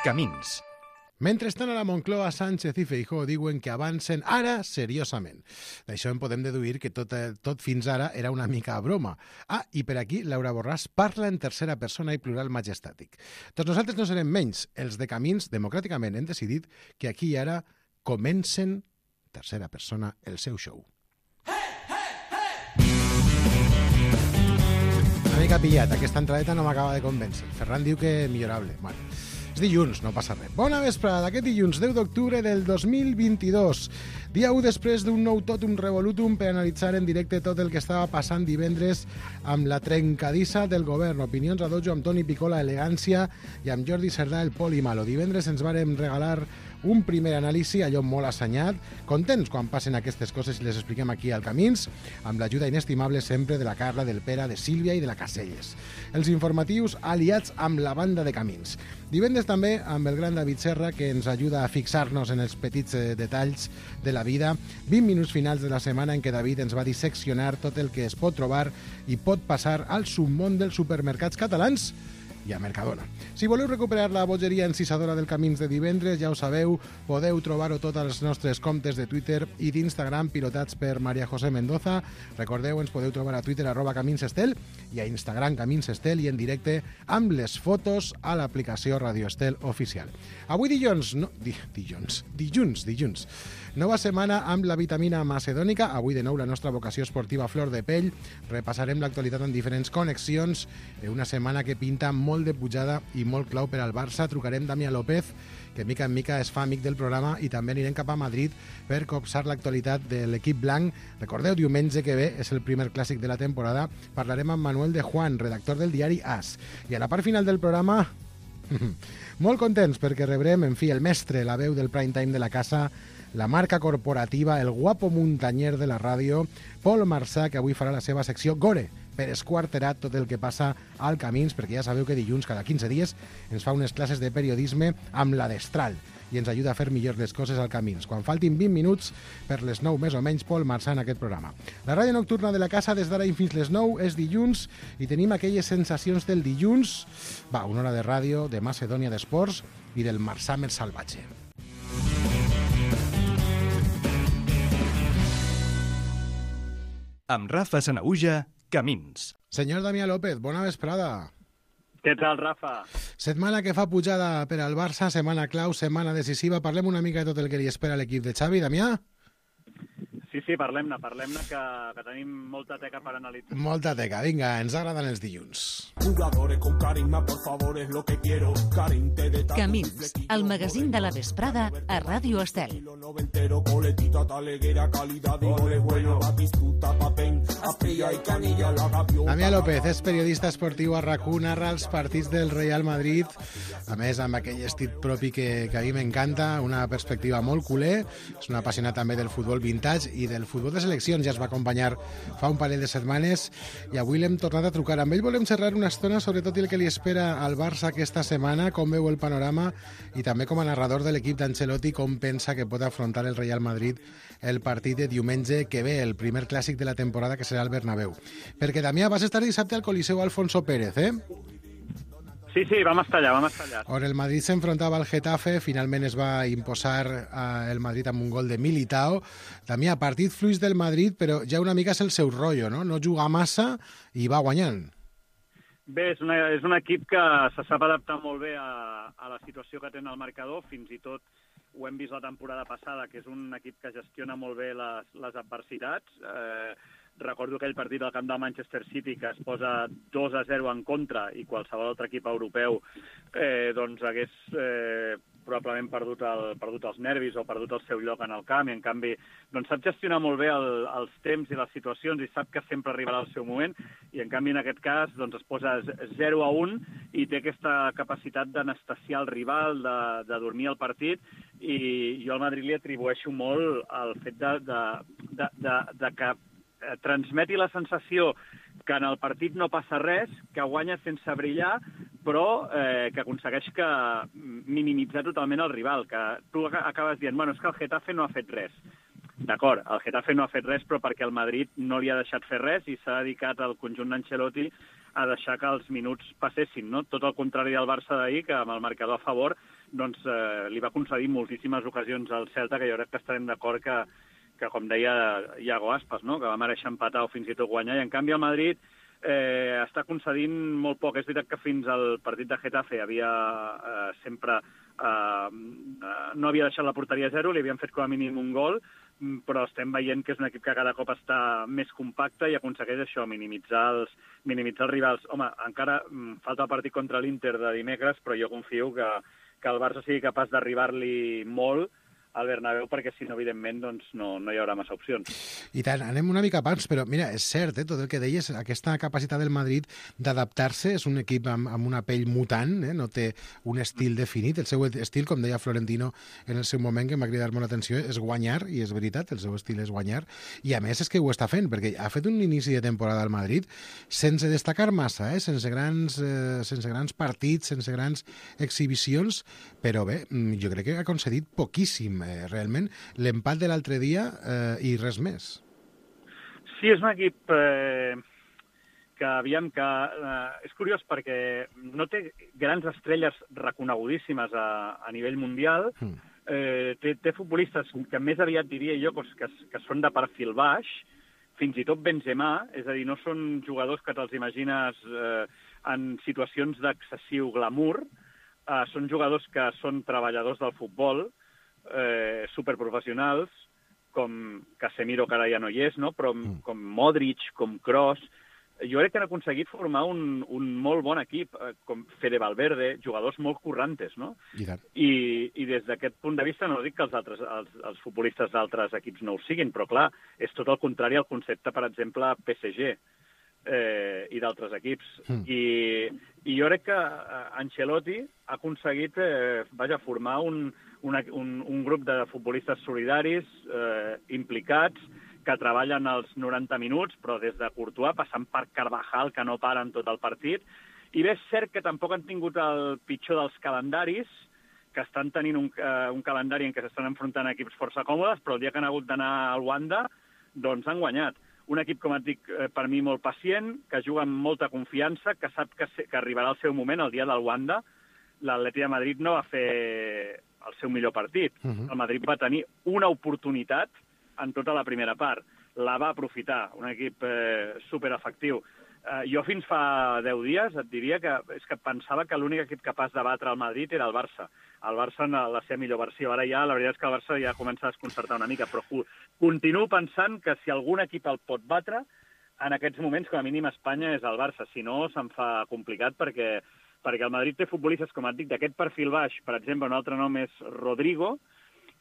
Camins. Mentrestant, a la Moncloa, Sánchez i Feijóo diuen que avancen ara seriosament. D'això en podem deduir que tot fins ara era una mica a broma. I per aquí Laura Borràs parla en tercera persona i plural majestàtic. Doncs nosaltres no serem menys. Els de Camins, democràticament, hem decidit que aquí i ara comencen, tercera persona, el seu show. Una mica pillat, aquesta entradeta no m'acaba de convèncer. Ferran diu que millorable. Bueno, és dilluns, no passa res. Bona vesprada, aquest dilluns 10 d'octubre del 2022. Dia 1 després d'un nou totum revolutum per analitzar en directe tot el que estava passant divendres amb la trencadissa del govern. Opinions a dojo amb Toni Picola, elegància, i amb Jordi Cerdà, el poli malo. Divendres ens vàrem regalar un primer anàlisi, allò molt assenyat. Contents quan passen aquestes coses i les expliquem aquí al Camins, amb l'ajuda inestimable sempre de la Carla, del Pere, de Sílvia i de la Caselles. Els informatius aliats amb la banda de Camins. Divendres també amb el gran David Serra, que ens ajuda a fixar-nos en els petits detalls de la vida. 20 minuts finals de la setmana en què David ens va disseccionar tot el que es pot trobar i pot passar al submón dels supermercats catalans i a Mercadona. Si voleu recuperar la bogeria encisadora del Camins de divendres, ja ho sabeu, podeu trobar-ho tot als nostres comptes de Twitter i d'Instagram pilotats per María José Mendoza. Recordeu, ens podeu trobar a Twitter @CaminsEstel i a Instagram CaminsEstel i en directe amb les fotos a l'aplicació Radio Estel oficial. Avui dilluns. Nova setmana amb la vitamina macedònica. Avui de nou la nostra vocació esportiva flor de pell. Repassarem l'actualitat en diferents connexions. Una setmana que pinta molt de pujada i molt clau per al Barça. Trucarem Damià López, que mica en mica es fa amic del programa, i també anirem cap a Madrid per copsar l'actualitat de l'equip blanc. Recordeu, diumenge que ve és el primer clàssic de la temporada. Parlarem amb Manuel de Juan, redactor del diari AS. I a la part final del programa, molt contents perquè rebrem, en fi, el mestre, la veu del prime time de la casa, la marca corporativa, el guapo muntanyer de la ràdio, Pol Marsà, que avui farà la seva secció Gore, per esquarterar tot el que passa al Camins, perquè ja sabeu que dilluns, cada 15 dies, ens fa unes classes de periodisme amb la destral i ens ajuda a fer millor les coses al Camins. Quan faltin 20 minuts per les 9 més o menys, Pol Marsà en aquest programa. La ràdio nocturna de la casa des d'ara i fins les 9 és dilluns i tenim aquelles sensacions del dilluns, una hora de ràdio, de Macedònia d'Esports i del Marsà més salvatge. Amb Rafa Sanahuja, Camins. Senyor Damià López, bona vesprada. Què tal, Rafa? Setmana que fa pujada per al Barça, setmana clau, setmana decisiva. Parlem una mica de tot el que li espera l'equip de Xavi. Damià? Sí, parlem-ne, que tenim molta teca per analitzar. Molta teca, vinga, ens agraden els dilluns. Camins, el magazín de la vesprada a Ràdio Estel. Damià López és periodista esportiu a RAC1, narra els partits del Real Madrid, a més amb aquell estil propi que a mi m'encanta, una perspectiva molt culer, és un apassionat també del futbol vintage i del futbol de seleccions, ja es va acompanyar fa un parell de setmanes i avui l'hem tornat a trucar. Amb ell volem xerrar una estona sobre tot el que li espera al Barça aquesta setmana, com veu el panorama i també com a narrador de l'equip d'Ancelotti com pensa que pot afrontar el Real Madrid el partit de diumenge que ve, el primer clàssic de la temporada que serà el Bernabéu. Perquè, Damià, vas estar dissabte al Coliseu Alfonso Pérez, eh? Sí, vam estar allà. On el Madrid s'enfrontava al Getafe, finalment es va imposar el Madrid amb un gol de Militao. Damià, partit fluix del Madrid, però ja una mica és el seu rotllo, no? No juga massa i va guanyant. Bé, és un equip que se sap adaptar molt bé a la situació que té en el marcador, fins i tot ho hem vist la temporada passada, que és un equip que gestiona molt bé les adversitats. Recordo aquell partit del camp del Manchester City que es posa 2-0 en contra i qualsevol altre equip europeu hagués probablement perdut els nervis o perdut el seu lloc en el camp, i en canvi sap gestionar molt bé els temps i les situacions i sap que sempre arribarà el seu moment, i en canvi en aquest cas es posa 0-1 i té aquesta capacitat d'anestesiar el rival, de dormir el partit, i jo al Madrid li atribueixo molt el fet de que transmeti la sensació que en el partit no passa res, que guanya sense brillar, però que aconsegueix minimitzar totalment el rival, que tu acabes dient, és que el Getafe no ha fet res. D'acord, el Getafe no ha fet res, però perquè el Madrid no li ha deixat fer res i s'ha dedicat al conjunt d'Ancelotti a deixar que els minuts passessin, no? Tot el contrari del Barça d'ahir, que amb el marcador a favor doncs, li va concedir moltíssimes ocasions al Celta, que jo crec que estarem d'acord que com deia Iago Aspas, no? Que va mereixer empatar o fins i tot guanyar, i en canvi el Madrid està concedint molt poc. És veritat que fins al partit de Getafe havia sempre no havia deixat la porteria a zero, li havien fet com a mínim un gol, però estem veient que és un equip que cada cop està més compacte i aconsegueix això, minimitzar els rivals. Home, encara falta el partit contra l'Inter de dimecres, però jo confio que el Barça sigui capaç d'arribar-li molt al Bernabéu, perquè si no, evidentment, doncs no hi haurà massa opcions. I tant, anem una mica abans, però mira, és cert, tot el que deies, aquesta capacitat del Madrid d'adaptar-se, és un equip amb una pell mutant, no té un estil definit, el seu estil, com deia Florentino en el seu moment, que m'ha cridat molt l'atenció, és guanyar, i és veritat, el seu estil és guanyar, i a més és que ho està fent, perquè ha fet un inici de temporada al Madrid sense destacar massa, sense grans partits, sense grans exhibicions, però bé, jo crec que ha concedit poquíssim, realment, l'empat de l'altre dia i res més. Sí, és un equip que és curiós perquè no té grans estrelles reconegudíssimes a nivell mundial. Té futbolistes que més aviat diria jo que són de perfil baix, fins i tot Benzema, és a dir, no són jugadors que te'ls imagines en situacions d'excessiu glamour, són jugadors que són treballadors del futbol, superprofessionals, com Casemiro, que ara ja no hi és, no? Però com Modric, com Kroos. Jo crec que han aconseguit formar un molt bon equip, com Fede Valverde, jugadors molt currantes, no? I des d'aquest punt de vista no dic que els futbolistes d'altres equips no ho siguin, però clar, és tot el contrari al concepte, per exemple, PSG i d'altres equips. I jo crec que Ancelotti ha aconseguit formar un grup de futbolistes solidaris, implicats, que treballen els 90 minuts, però des de Courtois, passant per Carvajal, que no paren tot el partit. I bé, és cert que tampoc han tingut el pitjor dels calendaris, que estan tenint un calendari en què s'estan enfrontant equips força còmodes, però el dia que han hagut d'anar al Wanda, doncs han guanyat. Un equip, com et dic, per mi molt pacient, que juga amb molta confiança, que sap que arribarà el seu moment, el dia del Wanda. L'Atleti de Madrid no va fer el seu millor partit. El Madrid va tenir una oportunitat en tota la primera part. La va aprofitar, un equip superefectiu. Jo fins fa 10 dies et diria que pensava que l'únic equip capaç de batre el Madrid era el Barça. El Barça en la seva millor versió. Ara ja, la veritat és que el Barça ja comença a desconcertar una mica, però continuo pensant que si algun equip el pot batre, en aquests moments, com a mínim, Espanya és el Barça. Si no, se'n fa complicat perquè el Madrid té futbolistes, com et dic, d'aquest perfil baix. Per exemple, un altre nom és Rodrigo,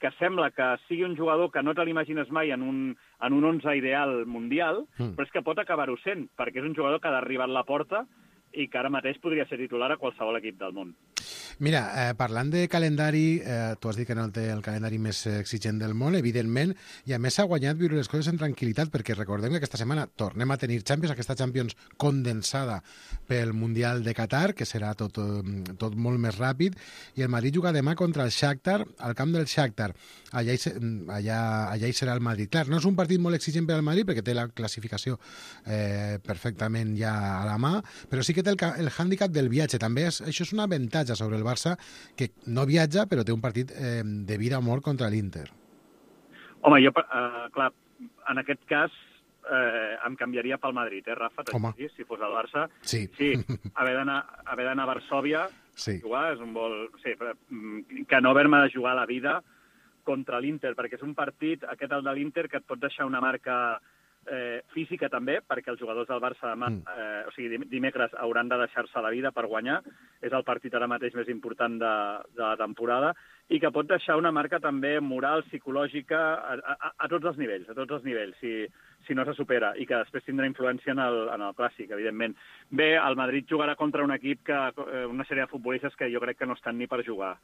que sembla que sigui un jugador que no te l'imagines mai en un 11 ideal mundial, però és que pot acabar-ho sent, perquè és un jugador que ha d'arribar a la porta i que ara mateix podria ser titular a qualsevol equip del món. Mira, parlant de calendari, tu has dit que no té el calendari més exigent del món, evidentment, i a més s'ha guanyat viure les coses en tranquil·litat, perquè recordem que aquesta setmana tornem a tenir Champions, aquesta Champions condensada pel Mundial de Qatar, que serà tot molt més ràpid, i el Madrid juga demà contra el Shakhtar, al camp del Shakhtar. Allà hi serà el Madrid. Clar, no és un partit molt exigent per al Madrid, perquè té la classificació perfectament ja a la mà, però sí que té el hàndicap del viatge. També això és un avantatge sobre el Barça, que no viatja, però té un partit de vida o mort contra l'Inter. Home, jo, clar, en aquest cas em canviaria pel Madrid, Rafa? Si fos el Barça. Sí, haver d'anar a Varsòvia, jugar, és un vol... Sí, que no haver-me de jugar la vida contra l'Inter, perquè és un partit, aquest el de l'Inter, que et pot deixar una marca física també, perquè els jugadors del Barça dimecres hauran de deixar-se la vida per guanyar. És el partit ara mateix més important de la temporada i que pot deixar una marca també moral, psicològica, a tots els nivells, si no se supera, i que després tindrà influència en el Clàssic, evidentment. Bé, el Madrid jugarà contra un equip, una sèrie de futbolistes que jo crec que no estan ni per jugar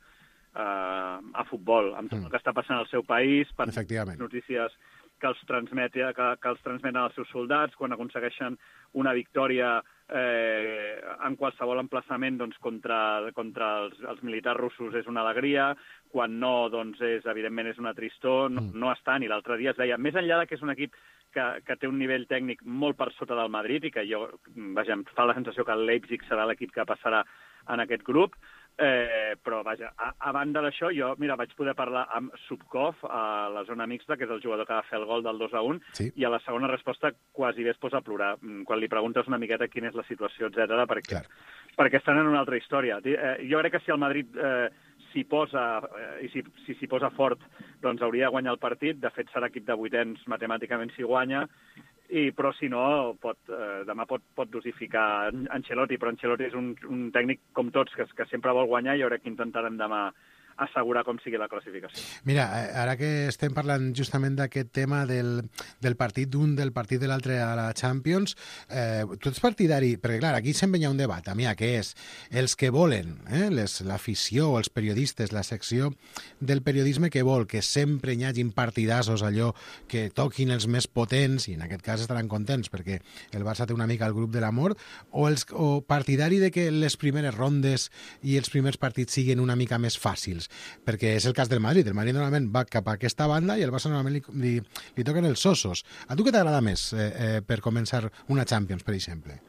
a futbol, amb tot el que està passant al seu país, per notícies que els transmeten als seus soldats, quan aconsegueixen una victòria en qualsevol emplaçament contra els militars russos és una alegria, quan no, evidentment és una tristor, no estan, i l'altre dia es deia, més enllà que és un equip que té un nivell tècnic molt per sota del Madrid i que em fa la sensació que el Leipzig serà l'equip que passarà en aquest grup. Però, vaja, a banda d'això, jo, vaig poder parlar amb Subkov a la zona mixta, que és el jugador que va fer el gol del 2-1, sí. I a la segona resposta quasi bé es posa a plorar, quan li preguntes una miqueta quina és la situació, etc. perquè estan en una altra història. Jo crec que si el Madrid s'hi posa, i si s'hi posa fort, doncs hauria de guanyar el partit. De fet, serà equip de vuitens matemàticament si guanya, però si no, demà pot dosificar Ancelotti, però Ancelotti és un tècnic com tots, que sempre vol guanyar, i jo crec que intentarem demà assegurar com sigui la classificació. Mira, ara que estem parlant justament d'aquest tema del partit d'un, del partit de l'altre a la Champions, tu ets partidari, perquè clar, aquí sempre hi ha un debat, que és els que volen, l'afició, els periodistes, la secció del periodisme que vol que sempre hi hagin partidassos, allò que toquin els més potents, i en aquest cas estaran contents perquè el Barça té una mica el grup de l'amor, o partidari de que les primeres rondes i els primers partits siguin una mica més fàcils, perquè és el cas del Madrid. El Madrid normalment va cap a aquesta banda i el Barça normalment li toquen els ossos. A tu què t'agrada més per començar una Champions, per exemple?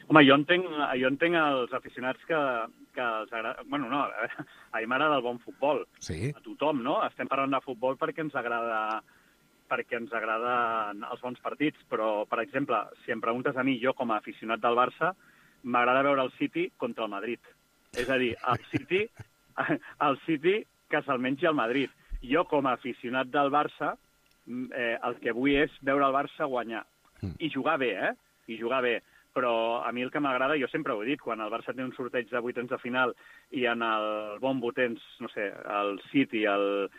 Home, jo entenc els aficionats que els agrada... Bueno, no, a mi m'agrada el bon futbol. Sí. A tothom, no? Estem parlant de futbol perquè ens agraden els bons partits, però, per exemple, si em preguntes a mi, jo com a aficionat del Barça, m'agrada veure el City contra el Madrid. És a dir, el City que se'l mengi el Madrid. Jo, com a aficionat del Barça, el que vull és veure el Barça guanyar. I jugar bé, I jugar bé. Però a mi el que m'agrada, jo sempre ho he dit, quan el Barça té un sorteig de vuitens de final i en el bombo tens, no sé, el City, el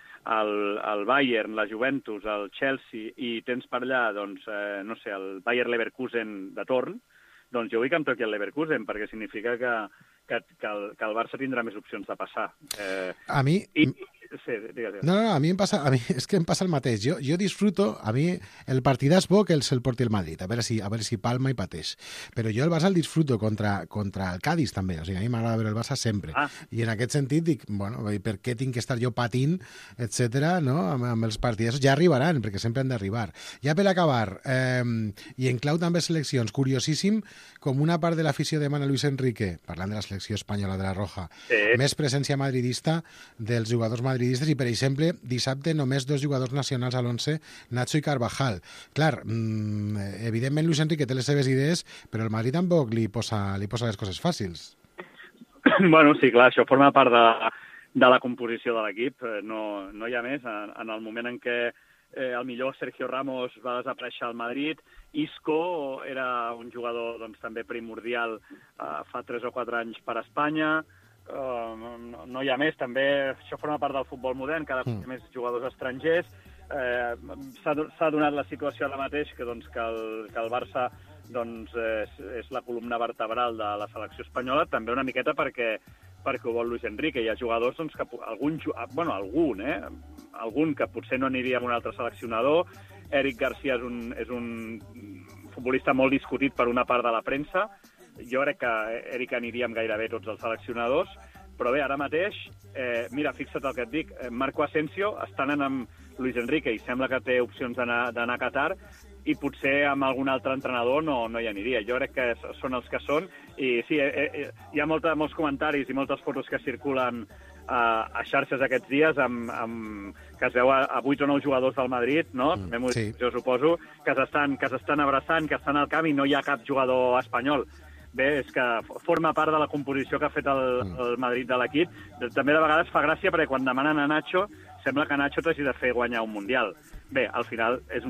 Bayern, la Juventus, el Chelsea, i tens per allà, doncs, no sé, el Bayer Leverkusen de torn, doncs jo vull que em toqui el Leverkusen, perquè significa que el Barça tindrà més opcions de passar. A mi... Sí, digues. No, a mi és que em passa el mateix. Jo disfruto, a mi el partidàs bo que se'l porti el Madrid, a veure si palma i pateix. Però jo el Barça el disfruto contra el Cádiz també, o sigui, a mi m'agrada veure el Barça sempre. I en aquest sentit dic, bueno, per què tinc que estar jo patint, etcètera, no? Amb els partidars ja arribaran, perquè sempre han d'arribar. Ja per acabar, i en clau també seleccions, curiosíssim, com una part de l'afició demana Luis Enrique, parlant de la selecció espanyola de la Roja, més presència madridista dels jugadors madridistes, i, per exemple, dissabte només 2 jugadors nacionals a l'11, Nacho i Carvajal. Clar, evidentment Luis Enrique té les seves idees, però el Madrid tampoc li posa les coses fàcils. Bueno, sí, clar, això forma part de la composició de l'equip. No hi ha més. En el moment en què el millor Sergio Ramos va desaparèixer al Madrid, Isco era un jugador doncs, també primordial fa 3 o 4 anys per a Espanya. No hi ha més, també això forma part del futbol modern, cada cop més jugadors estrangers. S'ha donat la situació ara mateix que el Barça doncs, és la columna vertebral de la selecció espanyola, també una miqueta perquè ho vol Luis Enrique. Hi ha jugadors doncs, que algun que potser no aniria amb un altre seleccionador. Eric Garcia és un futbolista molt discutit per una part de la premsa. Jo crec que Eric aniria amb gairebé tots els seleccionadors, però bé, ara mateix, mira, fixa't el que et dic, Marco Asensio està anant amb Luis Enrique i sembla que té opcions d'anar a Qatar, i potser amb algun altre entrenador no hi aniria. Jo crec que són els que són, i sí, hi ha molts comentaris i moltes fotos que circulen a xarxes aquests dies que es veu a 8 o 9 jugadors del Madrid, no? Sí. Jo suposo que s'estan abraçant, que estan al camp i no hi ha cap jugador espanyol. Bé, és que forma part de la composició que ha fet el Madrid de l'equip. També de vegades fa gràcia perquè quan demanen a Nacho sembla que Nacho t'hagi de fer guanyar un Mundial. Bé, al final és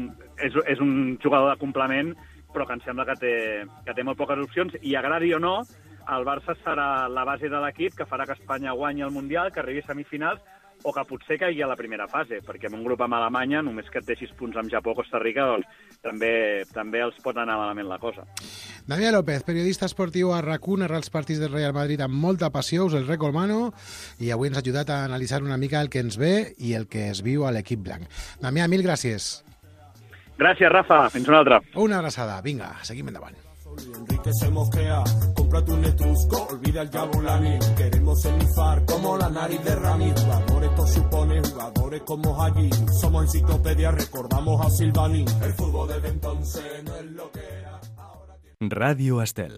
un jugador de complement, però que em sembla que té molt poques opcions, i agradi o no, el Barça serà la base de l'equip que farà que Espanya guanyi el Mundial, que arribi a semifinals, o que potser caigui a la primera fase, perquè en un grup amb Alemanya, només que et deixis punts amb Japó o Costa Rica, doncs també els pot anar malament la cosa. Damià López, periodista esportiu a RAC1, narra els partits del Real Madrid amb molta passió, us el recomano, i avui ens ha ajudat a analitzar una mica el que ens ve i el que es viu a l'equip blanc. Damià, mil gràcies. Gràcies, Rafa. Fins una altra. Una abraçada. Vinga, seguim endavant. Enrique se mosquea, cómprate un netrusco, olvida el Jabulani. Queremos enifar como la nariz de Rami. Jugadores todos supone, jugadores como allí. Somos enciclopedia, recordamos a Silvani. El fútbol desde entonces no es lo que era. Ràdio Estel.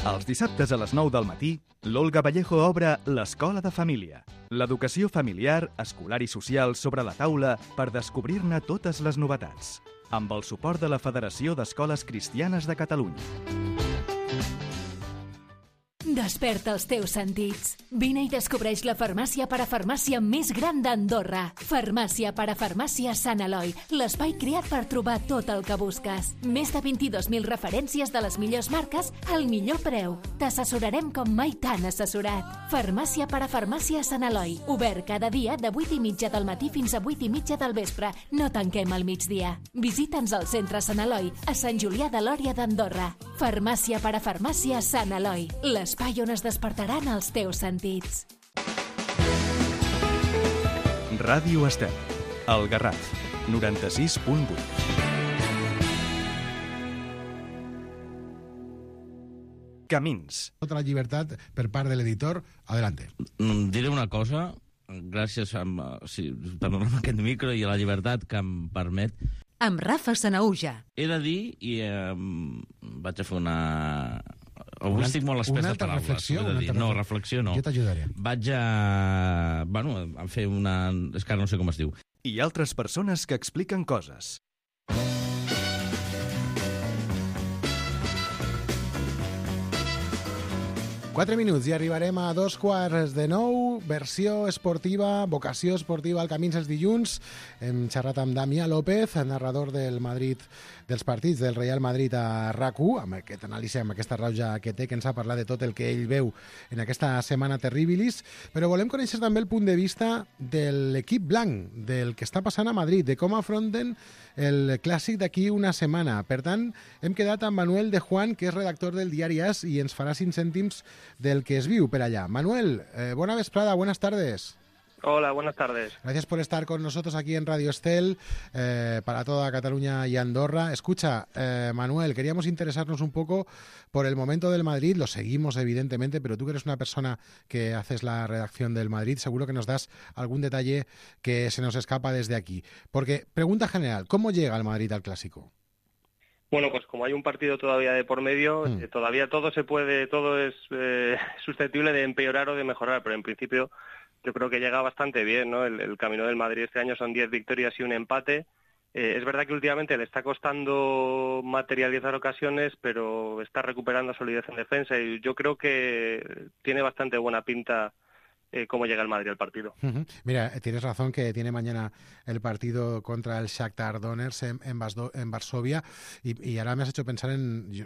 Els dissabtes a les 9 del matí, l'Olga Vallejo obre l'Escola de Família. L'educació familiar, escolar i social sobre la taula per descobrir-ne totes les novetats. Amb el suport de la Federació d'Escoles Cristianes de Catalunya. Desperta els teus sentits. Vine i descobreix la farmàcia parafarmàcia més gran d'Andorra. Farmàcia parafarmàcia Sant Eloi, l'espai creat per trobar tot el que busques. Més de 22.000 referències de les millors marques al millor preu. T'assessorarem com mai t'han assessorat. Farmàcia parafarmàcia Sant Eloi, obert cada dia de 8:30 del matí fins a 8:30 del vespre. No tanquem al migdia. Visita'ns al centre Sant Eloi, a Sant Julià de Lòria d'Andorra. Farmàcia parafarmàcia Sant Eloi, l'espai on es despertaran els teus sentits. Ràdio Estel, El Garraf, 96.8. Camins. Tota la llibertat per part de l'editor. Adelante. Diré una cosa, gràcies per aquest micro i a la llibertat que em permet. Amb Rafa Sanaúja. He de dir, i vaig a fer una... Avui estic molt espès de paraules. Reflexió, no, reflexió no. Jo t'ajudaré. Vaig a fer una... És que ara no sé com es diu. I altres persones que expliquen coses. Quatre minuts i arribarem a 8:45, versió esportiva, vocació esportiva al Camins els dilluns. Hem xerrat amb Damià López, narrador del Madrid, dels partits del Real Madrid a RAC1, amb aquest anàlisi, amb aquesta rauja que té, que ens ha parlat de tot el que ell veu en aquesta setmana terribilis, però volem conèixer també el punt de vista de l'equip blanc, del que està passant a Madrid, de com afronten el clàssic d'aquí una setmana. Per tant, hem quedat amb Manuel de Juan, que és redactor del diari AS i ens farà 5 cèntims del que es viu per allá. Manuel, buena vesprada, buenas tardes. Hola, buenas tardes. Gracias por estar con nosotros aquí en Radio Estel, para toda Cataluña y Andorra. Escucha, Manuel, queríamos interesarnos un poco por el momento del Madrid, lo seguimos evidentemente, pero tú que eres una persona que haces la redacción del Madrid, seguro que nos das algún detalle que se nos escapa desde aquí. Porque, pregunta general, ¿cómo llega el Madrid al Clásico? Bueno, pues como hay un partido todavía de por medio, todavía todo es susceptible de empeorar o de mejorar, pero en principio yo creo que llega bastante bien, ¿no? El camino del Madrid este año son 10 victorias y un empate. Es verdad que últimamente le está costando materializar ocasiones, pero está recuperando solidez en defensa y yo creo que tiene bastante buena pinta cómo llega el Madrid al partido. Mira, tienes razón que tiene mañana el partido contra el Shakhtar Donetsk en Varsovia y ahora me has hecho pensar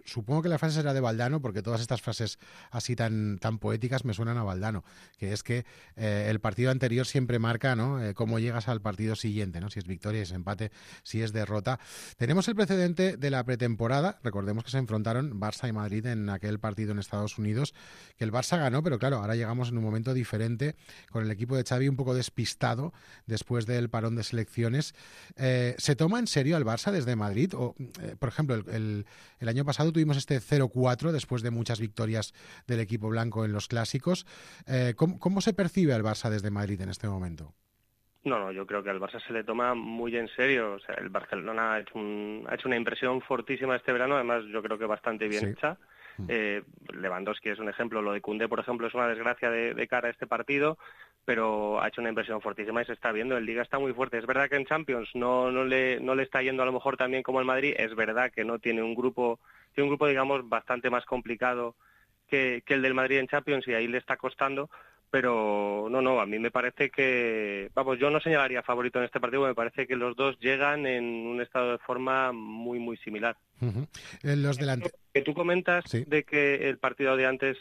supongo que la frase será de Valdano, porque todas estas frases así tan poéticas me suenan a Valdano, que es que el partido anterior siempre marca, ¿no? Cómo llegas al partido siguiente, ¿no? Si es victoria, si es empate, si es derrota. Tenemos el precedente de la pretemporada, recordemos que se enfrentaron Barça y Madrid en aquel partido en Estados Unidos, que el Barça ganó, pero claro, ahora llegamos en un momento diferente, con el equipo de Xavi un poco despistado después del parón de selecciones. ¿Se toma en serio al Barça desde Madrid? O, por ejemplo, el año pasado tuvimos este 0-4 después de muchas victorias del equipo blanco en los clásicos. ¿Cómo se percibe al Barça desde Madrid en este momento? No, yo creo que al Barça se le toma muy en serio. O sea, el Barcelona ha hecho una impresión fortísima este verano, además yo creo que bastante bien hecha. Lewandowski es un ejemplo, lo de Koundé, por ejemplo, es una desgracia de cara a este partido, pero ha hecho una impresión fortísima y se está viendo. El Liga está muy fuerte. Es verdad que en Champions no le está yendo a lo mejor tan bien como el Madrid. Es verdad que no tiene un grupo digamos bastante más complicado que el del Madrid en Champions y ahí le está costando. Pero no, a mí me parece que, yo no señalaría favorito en este partido, me parece que los dos llegan en un estado de forma muy, muy similar. Los delanteros que tú comentas de que el partido de antes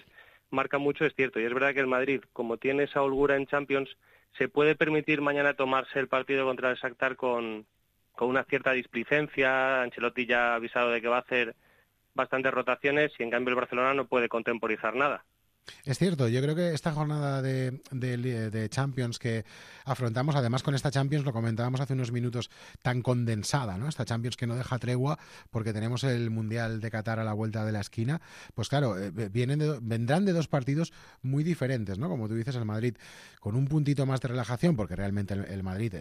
marca mucho es cierto, y es verdad que el Madrid, como tiene esa holgura en Champions, se puede permitir mañana tomarse el partido contra el Shakhtar con una cierta displicencia. Ancelotti ya ha avisado de que va a hacer bastantes rotaciones y en cambio el Barcelona no puede contemporizar nada. Es cierto, yo creo que esta jornada de Champions que afrontamos, además con esta Champions, lo comentábamos hace unos minutos, tan condensada, ¿no? Esta Champions que no deja tregua porque tenemos el Mundial de Qatar a la vuelta de la esquina, pues claro, vendrán de dos partidos muy diferentes, ¿no? Como tú dices, el Madrid con un puntito más de relajación, porque realmente el Madrid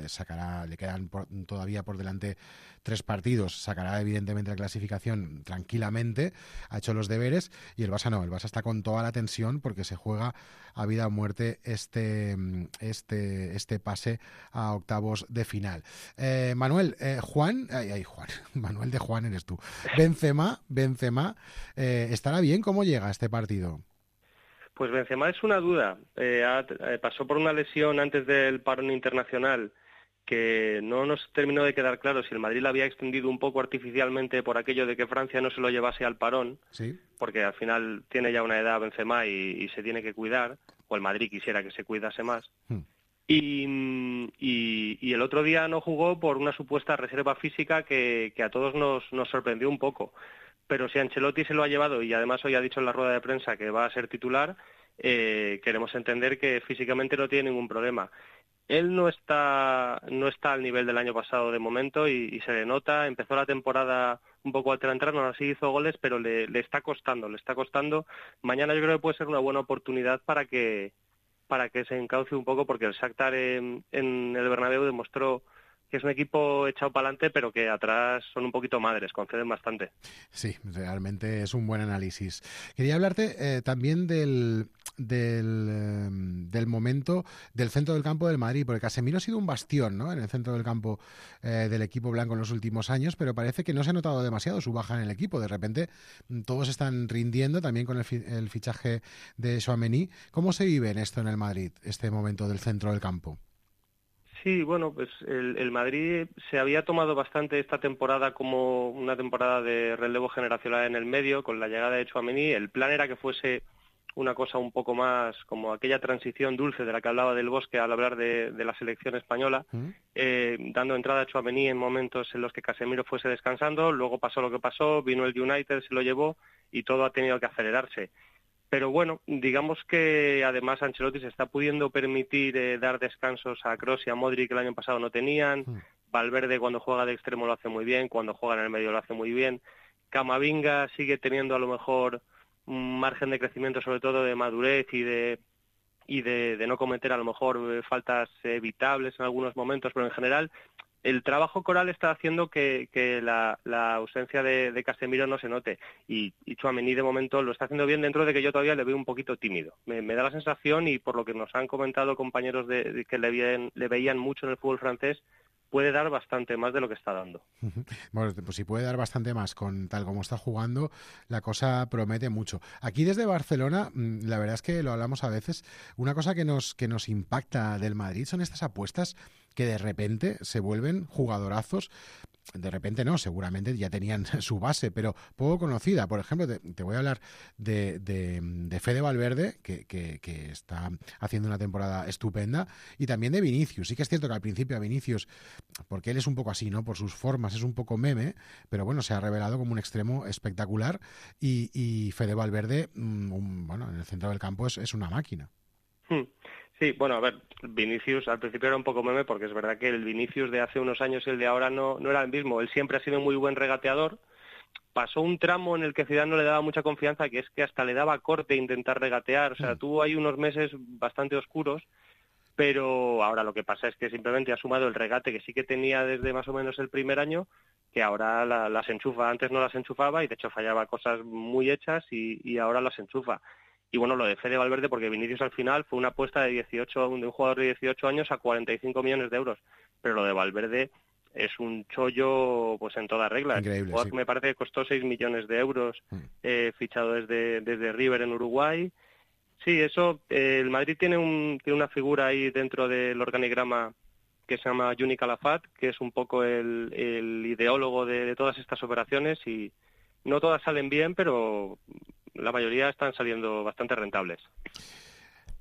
le quedan todavía por delante 3 partidos, sacará evidentemente la clasificación tranquilamente, ha hecho los deberes, y el Barça no, el Barça está con toda la tensión porque se juega a vida o muerte este pase a octavos de final. Manuel, Manuel de Juan eres tú. Benzema, ¿estará bien? ¿Cómo llega a este partido? Pues Benzema es una duda. Pasó por una lesión antes del parón internacional que no nos terminó de quedar claro si el Madrid la había extendido un poco artificialmente por aquello de que Francia no se lo llevase al parón, ¿sí? Porque al final tiene ya una edad Benzema y se tiene que cuidar, o el Madrid quisiera que se cuidase más. Y el otro día no jugó por una supuesta reserva física que a todos nos sorprendió un poco. Pero si Ancelotti se lo ha llevado y además hoy ha dicho en la rueda de prensa que va a ser titular, queremos entender que físicamente no tiene ningún problema. Él no está al nivel del año pasado de momento y se le nota. Empezó la temporada un poco alterantrano, así hizo goles, pero le está costando. Mañana yo creo que puede ser una buena oportunidad para que se encauce un poco, porque el Shakhtar en el Bernabéu demostró que es un equipo echado para adelante, pero que atrás son un poquito madres, conceden bastante. Sí, realmente es un buen análisis. Quería hablarte también del momento del centro del campo del Madrid, porque Casemiro ha sido un bastión, ¿no?, en el centro del campo del equipo blanco en los últimos años, pero parece que no se ha notado demasiado su baja en el equipo. De repente todos están rindiendo, también con el fichaje de Tchouaméni. ¿Cómo se vive en esto en el Madrid, este momento del centro del campo? Sí, bueno, pues el Madrid se había tomado bastante esta temporada como una temporada de relevo generacional en el medio, con la llegada de Tchouaméni. El plan era que fuese una cosa un poco más como aquella transición dulce de la que hablaba Del Bosque al hablar de la selección española, dando entrada a Tchouaméni en momentos en los que Casemiro fuese descansando. Luego pasó lo que pasó, vino el United, se lo llevó y todo ha tenido que acelerarse. Pero bueno, digamos que además Ancelotti se está pudiendo permitir dar descansos a Kroos y a Modric, que el año pasado no tenían. Valverde cuando juega de extremo lo hace muy bien, cuando juega en el medio lo hace muy bien. Camavinga sigue teniendo a lo mejor un margen de crecimiento, sobre todo de madurez y de no cometer a lo mejor faltas evitables en algunos momentos, pero en general el trabajo coral está haciendo que la ausencia de Casemiro no se note, y Tchouaméni de momento lo está haciendo bien, dentro de que yo todavía le veo un poquito tímido. Me da la sensación, y por lo que nos han comentado compañeros de que le veían mucho en el fútbol francés, puede dar bastante más de lo que está dando. Bueno, pues si puede dar bastante más con tal como está jugando, la cosa promete mucho. Aquí desde Barcelona, la verdad es que lo hablamos a veces, una cosa que nos impacta del Madrid son estas apuestas que de repente se vuelven jugadorazos. De repente no, seguramente ya tenían su base, pero poco conocida. Por ejemplo, te voy a hablar de Fede Valverde, que está haciendo una temporada estupenda, y también de Vinicius. Sí que es cierto que al principio a Vinicius, porque él es un poco así, ¿no?, por sus formas, es un poco meme, pero bueno, se ha revelado como un extremo espectacular, y Fede Valverde, bueno, en el centro del campo es una máquina. Sí, bueno, a ver, Vinicius al principio era un poco meme, porque es verdad que el Vinicius de hace unos años y el de ahora no era el mismo. Él siempre ha sido muy buen regateador. Pasó un tramo en el que Zidane no le daba mucha confianza, que es que hasta le daba corte intentar regatear. O sea, tuvo ahí unos meses bastante oscuros, pero ahora lo que pasa es que simplemente ha sumado el regate que sí que tenía desde más o menos el primer año, que ahora las enchufa. Antes no las enchufaba y de hecho fallaba cosas muy hechas y ahora las enchufa. Y bueno, lo de Fede Valverde, porque Vinicius al final fue una apuesta de un jugador de 18 años a 45 millones de euros. Pero lo de Valverde es un chollo pues en toda regla. Increíble, sí. Me parece que costó 6 millones de euros, fichado desde River en Uruguay. Sí, eso, el Madrid tiene una figura ahí dentro del organigrama que se llama Juni Calafat, que es un poco el ideólogo de todas estas operaciones, y no todas salen bien, pero la mayoría están saliendo bastante rentables.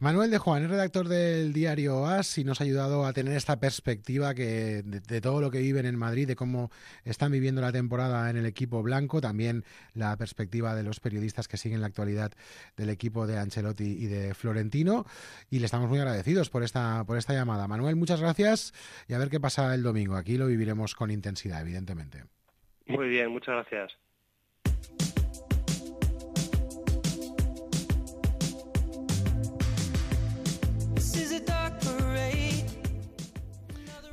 Manuel de Juan es redactor del diario AS y nos ha ayudado a tener esta perspectiva de todo lo que viven en Madrid, de cómo están viviendo la temporada en el equipo blanco, también la perspectiva de los periodistas que siguen la actualidad del equipo de Ancelotti y de Florentino, y le estamos muy agradecidos por esta llamada. Manuel, muchas gracias y a ver qué pasa el domingo. Aquí lo viviremos con intensidad, evidentemente. Muy bien, muchas gracias.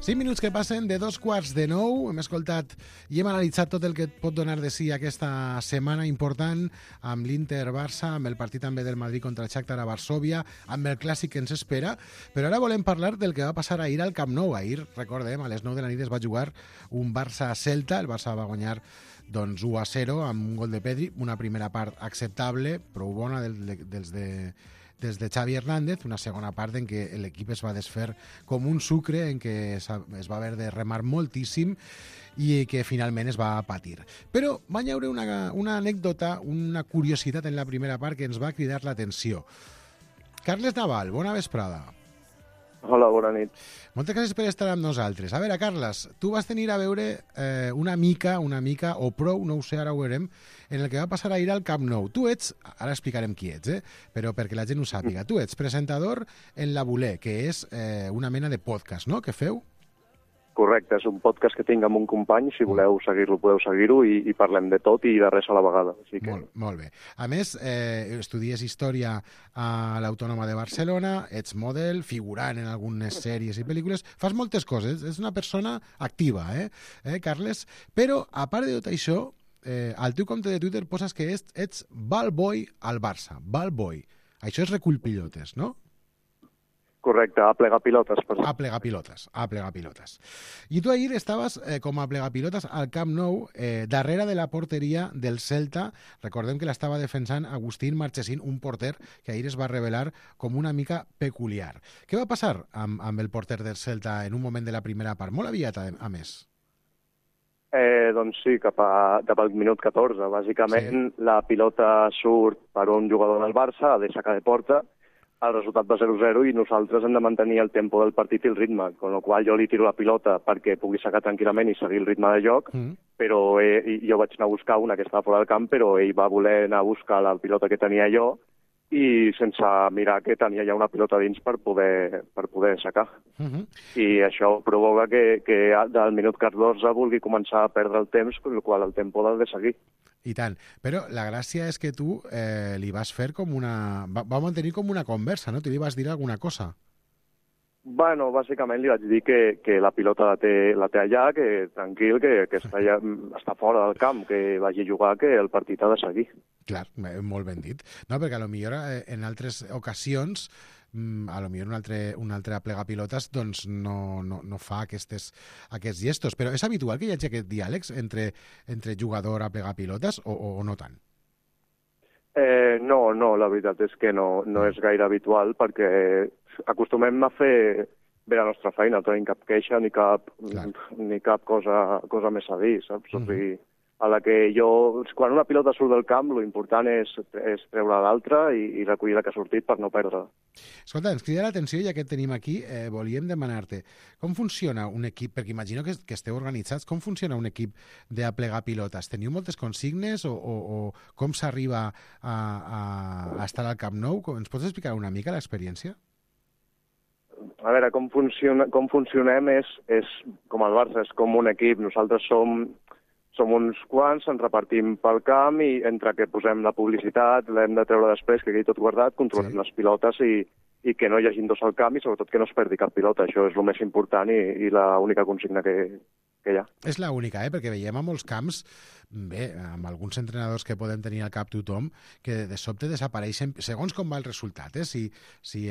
Cinc minuts que passen de 8:45. Hem escoltat i hem analitzat tot el que pot donar de si aquesta setmana important amb l'Inter-Barça, amb el partit també del Madrid contra el Shakhtar a Varsòvia, amb el clàssic que ens espera. Però ara volem parlar del que va passar ahir al Camp Nou. Ahir, recordem, a les 9 de la nit es va jugar un Barça-Celta. El Barça va guanyar 1-0 amb un gol de Pedri, una primera part acceptable, prou bona des de Xavi Hernández, una segona part en què l'equip es va desfer com un sucre, en què es va haver de remar moltíssim i que finalment es va patir. Però va haver una anècdota, una curiositat en la primera part que ens va cridar l'atenció. Carles Naval, bona vesprada. Hola, bona nit. Moltes gràcies per estar amb nosaltres. A veure, Carles, tu vas tenir a veure una mica, o prou, no ho sé, ara ho veurem, en el que va passar ahir al Camp Nou. Tu ets, ara explicarem qui ets, però perquè la gent ho sàpiga, tu ets presentador en La Voler, que és una mena de podcast, no?, que feu? Correcte, és un podcast que tinc amb un company, si voleu seguir-lo podeu seguir-ho i parlem de tot i de res a la vegada. Així que... Molt bé. A més, estudies història a l'Autònoma de Barcelona, ets model, figurant en algunes sèries i pel·lícules, fas moltes coses, és una persona activa, Carles? Però, a part de tot això, al teu compte de Twitter poses que ets ballboy al Barça, ballboy. Això és recull pilotes, no? Correcte, a plegar pilotes. A plegar pilotes. I tu ahir estaves com a plegar pilotes al Camp Nou, darrere de la porteria del Celta. Recordem que l'estava defensant Agustín Marchesín, un porter que ahir es va revelar com una mica peculiar. Què va passar amb el porter del Celta en un moment de la primera part? Molt aviat, a més. Doncs sí, cap al minut 14. Bàsicament, la pilota surt per un jugador del Barça, de saca de porta. El resultat va 0-0 i nosaltres hem de mantenir el tempo del partit i el ritme, con lo qual jo li tiro la pilota perquè pugui sacar tranquil·lament i seguir el ritme de joc, però jo vaig anar a buscar una que estava fora del camp, però ell va voler anar a buscar la pilota que tenia jo i sense mirar que tenia ja una pilota dins per poder sacar. I això provoca que del minut 14 vulgui començar a perdre el temps, amb el qual el tempo l'ha de seguir. I tant. Però la gràcia és que tu li vas fer com una... Va mantenir com una conversa, no? Tu li vas dir alguna cosa. Bueno, bàsicament li vaig dir que la pilota la té allà, que tranquil, que està fora del camp, que vagi a jugar, que el partit ha de seguir. Clar, molt ben dit. No, perquè potser en altres ocasions potser un altre plegapilotes doncs no fa aquests gestos. Però és habitual que hi hagi aquest diàleg entre jugador a plegapilotes o no tant? No, la veritat és que no és gaire habitual perquè acostumem a fer bé la nostra feina, no tenim cap queixa ni cap cosa més a dir, saps? O sigui, a la que quan una pilota surt del camp, l'important és treure l'altra i recollir la que ha sortit per no perdre. Escolta, ens crida l'atenció, ja que et tenim aquí, volíem demanar-te com funciona un equip, perquè imagino que esteu organitzats, com funciona un equip d'aplegar pilotes? Teniu moltes consignes o com s'arriba a estar al Camp Nou? Ens pots explicar una mica l'experiència? A veure, com funcionem és com el Barça, és com un equip. Nosaltres som uns quants, ens repartim pel camp i entre que posem la publicitat, l'hem de treure després, que quedi tot guardat, controlem les pilotes i que no hi hagi dos al camp i sobretot que no es perdi cap pilota. Això és el més important i l'única consigna que hi ha. És l'única, perquè veiem a molts camps, bé, amb alguns entrenadors que podem tenir al cap tothom, que de sobte desapareixen, segons com va el resultat, si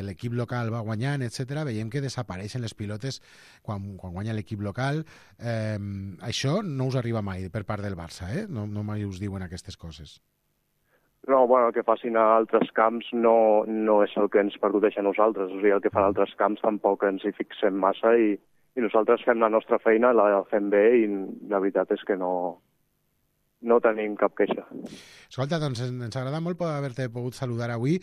l'equip local va guanyant, etc., veiem que desapareixen les pilotes quan guanya l'equip local. Això no us arriba mai per part del Barça, no mai us diuen aquestes coses. No, bueno, el que facin a altres camps no és el que ens percuteix a nosaltres. O sigui, el que fan altres camps tampoc ens hi fixem massa i nosaltres fem la nostra feina, la fem bé i la veritat és que no no tenim cap queixa. Escolta, doncs ens agrada molt haver-te pogut saludar avui.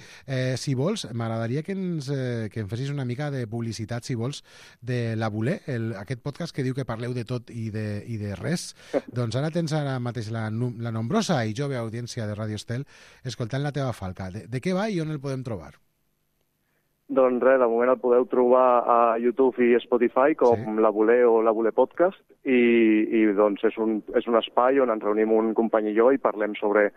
Si vols, m'agradaria que em fessis una mica de publicitat, si vols, de La Voler, aquest podcast que diu que parleu de tot i de res. Doncs ara tens ara mateix la nombrosa i jove audiència de Radio Estel escoltant la teva falca. De què va i on el podem trobar? Doncs res, de moment el podeu trobar a YouTube i Spotify com La Voler o La Voler Podcast i doncs és un espai on ens reunim un company i jo i parlem sobre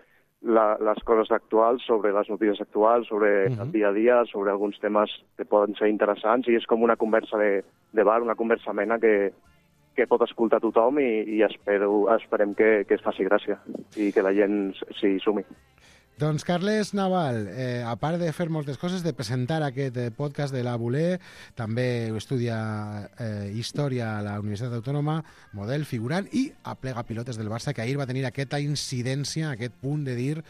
les coses actuals, sobre les notícies actuals, sobre el dia a dia, sobre alguns temes que poden ser interessants i és com una conversa de bar, una conversa amena que pot escoltar tothom i esperem que es faci gràcia i que la gent s'hi sumi. Doncs Carles Naval, a part de fer moltes coses, de presentar aquest podcast de La Voler, també estudia Història a la Universitat Autònoma, model, figurant, i aplega pilotes del Barça, que ahir va tenir aquesta incidència, aquest punt de dir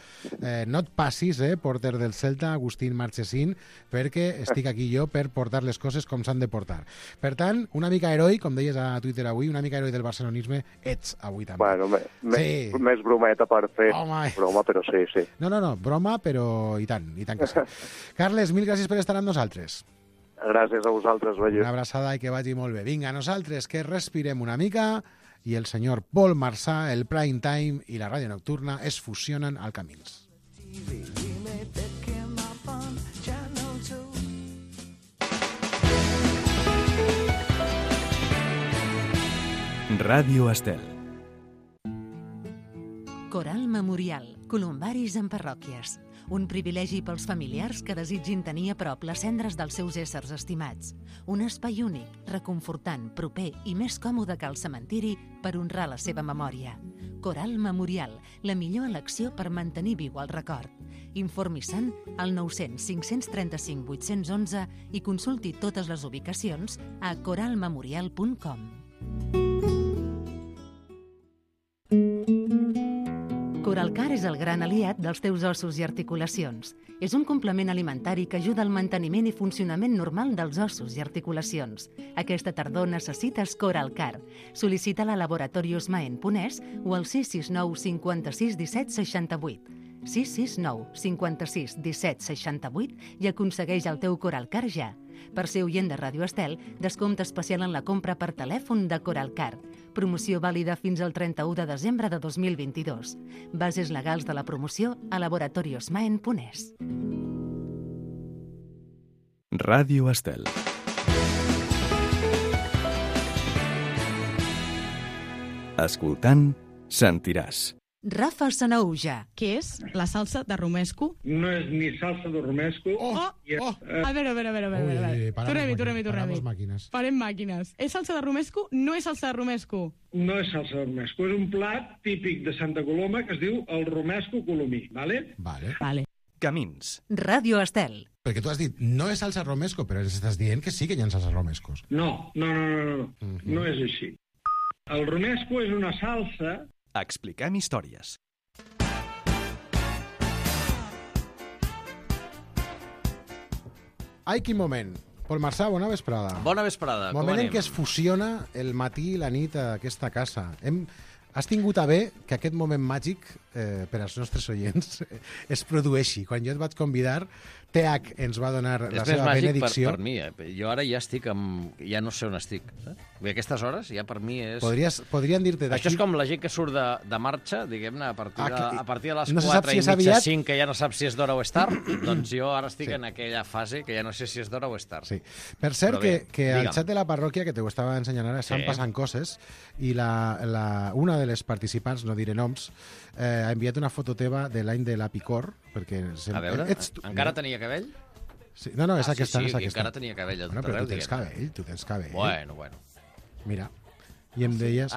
no et passis, porter del Celta, Agustín Marchesín, perquè estic aquí jo per portar les coses com s'han de portar. Per tant, una mica heroi, com deies a Twitter avui, una mica heroi del barcelonisme ets avui també. Bueno, més brometa per fer broma, però sí. No, broma, però i tant que sí. Carles, mil gràcies per estar amb nosaltres. Gràcies a vosaltres, veient. Una abraçada i que vagi molt bé. Vinga, nosaltres que respirem una mica i el senyor Pol Marsà, el Prime Time i la ràdio nocturna es fusionen al Camins. Ràdio Estel. Coral Memorial, columbaris en parròquies. Un privilegi pels familiars que desitgin tenir a prop les cendres dels seus éssers estimats. Un espai únic, reconfortant, proper i més còmode que el cementiri per honrar la seva memòria. Coral Memorial, la millor elecció per mantenir viu el record. Informi-se'n al 900 535 811 i consulti totes les ubicacions a coralmemorial.com. Coralcar és el gran aliat dels teus ossos i articulacions. És un complement alimentari que ajuda al manteniment i funcionament normal dels ossos i articulacions. Aquesta tardor necessites Coralcar. Sol·licita-la a Laboratorios Maen Ponès o al 669 56 17 68. 669 56 17 68 i aconsegueix el teu Coralcar ja. Per ser oient de Ràdio Estel, descompte especial en la compra per telèfon de Coralcar. Promoció vàlida fins al 31 de desembre de 2022. Bases legals de la promoció a Laboratorios Maen Ponès. Ràdio Estel. Escoltant, sentiràs. Rafa Sanaúja. Què és la salsa de romesco? No és ni salsa de romesco... A veure. Tornem-hi. Farem màquines. És salsa de romesco? No és salsa de romesco. No és salsa de romesco. És un plat típic de Santa Coloma que es diu el romesco colomí, ¿vale? Vale. Camins. Ràdio Estel. Perquè tu has dit, no és salsa romesco, però ens estàs dient que sí que hi ha salsa romescos. No. No és així. El romesco és una salsa... Expliquem històries. Ai, quin moment. Pol Marsà, bona vesprada. Bona vesprada. Moment en què es fusiona el matí i la nit a aquesta casa. Has tingut a bé que aquest moment màgic per als nostres oients es produeixi. Quan jo et vaig convidar, TH ens va donar la seva benedicció. És més màgic per mi. Jo ara ja estic ja no sé on estic. A aquestes hores ja per mi és... Podrien dir-te d'aquí... Això és com la gent que surt de marxa, diguem-ne, a partir de les 4 i mitja, 5, que ja no sap si és d'hora o és tard, doncs jo ara estic en aquella fase que ja no sé si és d'hora o és tard. Sí. Per cert, que al xat de la parròquia, que t'ho estava ensenyant ara, estan passant coses, i una de les participants, no diré noms, ha enviat una foto teva de l'any de la Picor, perquè... A veure, encara tenia cabell? Sí. No, és aquesta. Sí, encara tenia cabell. Però tu tens cabell. Bueno. Mira, i em deies...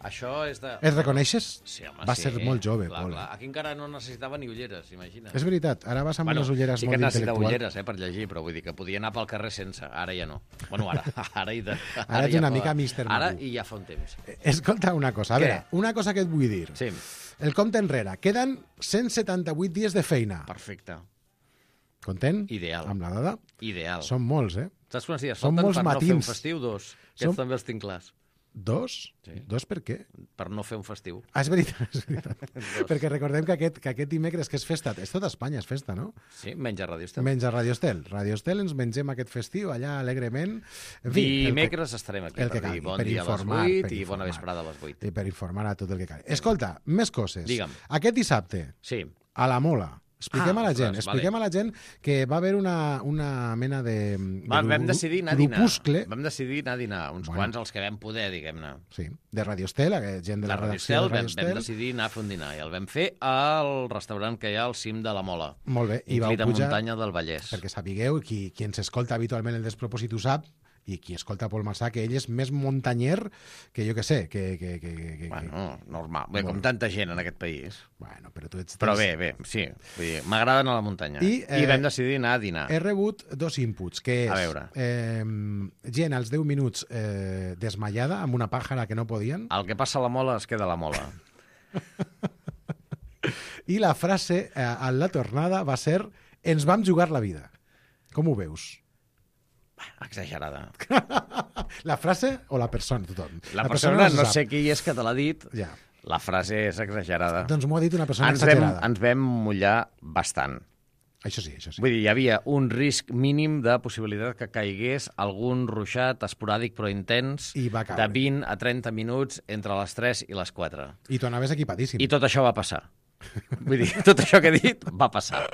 Això és de... Et reconeixes? Sí, home, va ser molt jove, Pol. Aquí encara no necessitava ni ulleres, imagina. És veritat, ara vas amb unes ulleres molt intel·lectuals. Sí que necessitava ulleres, per llegir, però vull dir que podia anar pel carrer sense. Ara ja no. Bueno, ara ets una mica Mr. Magoo. Ara i ja fa un temps. Escolta una cosa, a veure, una cosa que et vull dir. Sí. El compte enrere. Queden 178 dies de feina. Perfecte. Content? Ideal. Amb la dada? Ideal. Són molts, Saps quants dies són falten molts per matins. no fer un festiu? 2. Aquests també els tinc clars. 2? Sí. 2 per què? Per no fer un festiu. És veritat. Perquè recordem que aquest dimecres, que és festa, és tot Espanya, és festa, no? Sí, menys a Radio Estel. Menys a Radio Estel. Radio Estel ens mengem aquest festiu allà alegrement. En fi, dimecres estarem aquí per dir bon dia a les 8 i bona vesprada a les 8. I per informar a tot el que cal. Escolta, més coses. Digue'm. Aquest dissabte, a la Mola, expliquem a la gent que va haver una mena de vam decidir anar a dinar. Grupuscle. Vam decidir anar a dinar, uns quants els que vam poder, diguem-ne. Sí, de Radio Estel, gent de la redacció de Radio Estel. Vam decidir anar a fer un dinar i el vam fer al restaurant que hi ha al cim de la Mola. Molt bé. I vau pujar... muntanya del Vallès. Perquè sapigueu, qui ens escolta habitualment el Despropòsit ho sap, i qui escolta Pol Massà, que ell és més muntanyer que jo que sé. Bueno, normal. Bé, com tanta gent en aquest país. Bueno, però tu ets... Però bé, sí. M'agrada anar a la muntanya. I vam decidir anar a dinar. He rebut 2 inputs, que és... A veure. Gent als 10 minuts desmaiada, amb una pàjara que no podien. El que passa a la Mola es queda a la Mola. I la frase a la tornada va ser: ens vam jugar la vida. Com ho veus? Exagerada. La frase o la persona, tothom? La persona no sé qui és que te l'ha dit. Ja. La frase és exagerada. Doncs m'ho ha dit una persona exagerada. Ens vam mullar bastant. Això sí. Vull dir, hi havia un risc mínim de possibilitat que caigués algun ruixat esporàdic però intens de 20 a 30 minuts entre les 3 i les 4. I tu anaves equipadíssim. I tot això va passar. Vull dir, tot això que he dit va passar.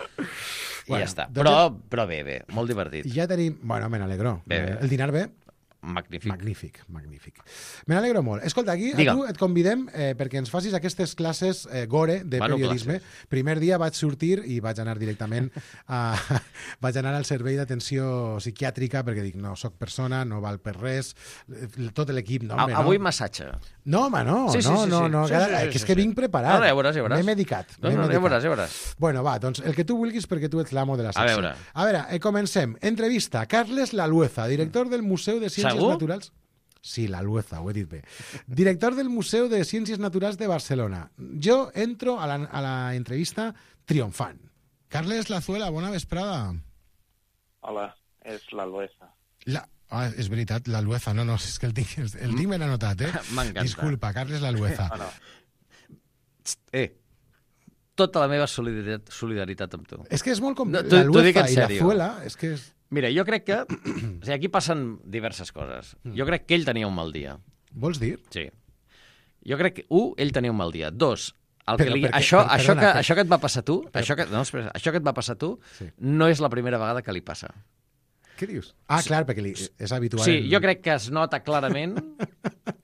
I ja està. Però bé, molt divertit. Ja tenim... Bueno, me n'alegro. El dinar bé? Magnífic. Me n'alegro molt. Escolta, aquí a tu et convidem perquè ens facis aquestes classes gore de periodisme. Primer dia vaig sortir i vaig anar directament vaig anar al servei d'atenció psiquiàtrica perquè dic, no, soc persona, no val per res, tot l'equip... Avui massatge. No, home, no. És que vinc preparat. Ja veuràs. M'he medicat. Ja veuràs. Bueno, va, doncs el que tu vulguis perquè tu ets l'amo de la secció. A veure, comencem. Entrevista. Carles Lalueza, director del Museu de Ciències Naturals. Sí, Lalueza, ho he dit bé. Director del Museu de Ciències Naturals de Barcelona. Jo entro a la entrevista triomfant. Carles Lazuela, bona vesprada. Hola, és Lalueza. És veritat, Lalueza. No, és que el tinc ben anotat, M'encanta. Disculpa, Carles Lalueza. Tota la meva solidaritat amb tu. És que és molt complicat. Lalueza i Lazuela, és que és... Mira, jo crec que... aquí passen diverses coses. Jo crec que ell tenia un mal dia. Vols dir? Sí. Jo crec que, ell tenia un mal dia. 2, això que et va passar a tu, això que et va passar a tu, no és la primera vegada que li passa. Què dius? Clar, perquè és habitual. Sí, jo crec que es nota clarament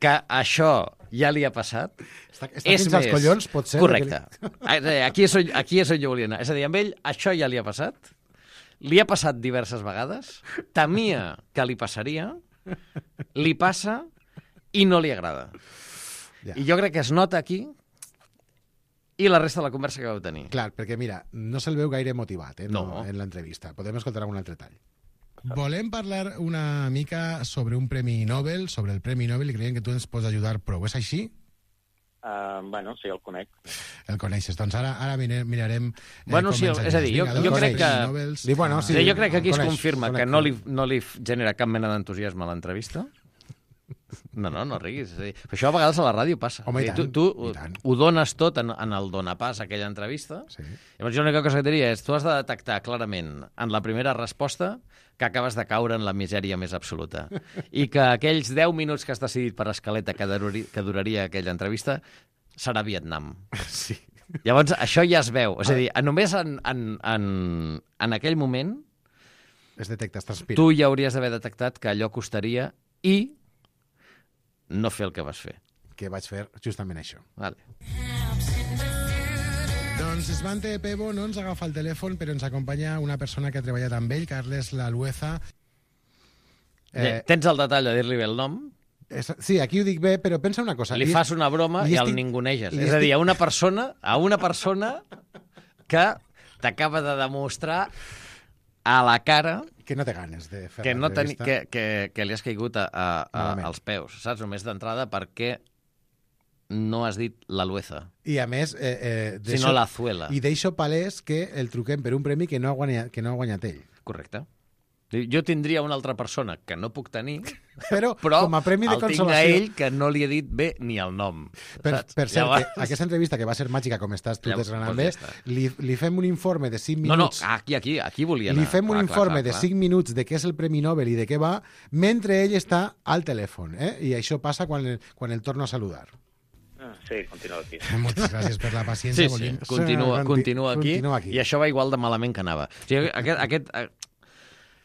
que això ja li ha passat. Està fins als collons, pot ser. Correcte. Aquí és on jo volia anar. És a dir, amb ell això ja li ha passat. Li ha passat diverses vegades, temia que li passaria, li passa i no li agrada. Ja. I jo crec que es nota aquí i la resta de la conversa que vau tenir. Clar, perquè mira, no se'l veu gaire motivat en l'entrevista. Podem escoltar algun altre tall. Volem parlar una mica sobre un Premi Nobel, sobre el Premi Nobel, i creiem que tu ens pots ajudar prou. És així? Bueno, sí, el conec. El coneixes. Doncs ara mirarem... Bueno, sí, és a dir, jo crec que... Jo crec que aquí es confirma que no li genera cap mena d'entusiasme a l'entrevista. No riguis. És a dir, això a vegades a la ràdio passa. Home, tu ho dones tot en el donapàs a aquella entrevista. Sí. Llavors jo l'única cosa que diria és tu has de detectar clarament en la primera resposta que acabes de caure en la misèria més absoluta. I que aquells 10 minuts que has decidit per escaleta que duraria aquella entrevista serà Vietnam. Sí. Llavors, això ja es veu. És a dir, només en aquell moment es detecta, es transpira. Tu ja hauries d'haver detectat que allò costaria i no fer el que vas fer. Que vaig fer justament això. Vale. Doncs Svante Pebo no ens agafa el telèfon, però ens acompanya una persona que ha treballat amb ell, Carles Lalueza. Tens el detall de dir-li bé el nom? Sí, aquí ho dic bé, però pensa una cosa. Li fas una broma i el ninguneges. És a dir, a una persona que t'acaba de demostrar a la cara que no té ganes de fer que li has caigut als peus, saps? Només d'entrada perquè no has dit Lalueza. I a més... sinó Lazuela. I deixo palès que el truquem per un premi que no ha guanyat ell. Correcte. Jo tindria una altra persona que no puc tenir, però com a premi de consolació... el tinc a ell que no li he dit bé ni el nom. Per cert, llavors... aquesta entrevista, que va ser màgica, com estàs tu desgranant bé, li fem un informe de 5 minuts... No, aquí volia anar. Li fem un informe de 5 minuts de què és el Premi Nobel i de què va, mentre ell està al telèfon, i això passa quan el torno a saludar. Sí, continua aquí. Moltes gràcies per la paciència. Sí, continua aquí, i això va igual de malament que anava. O sigui,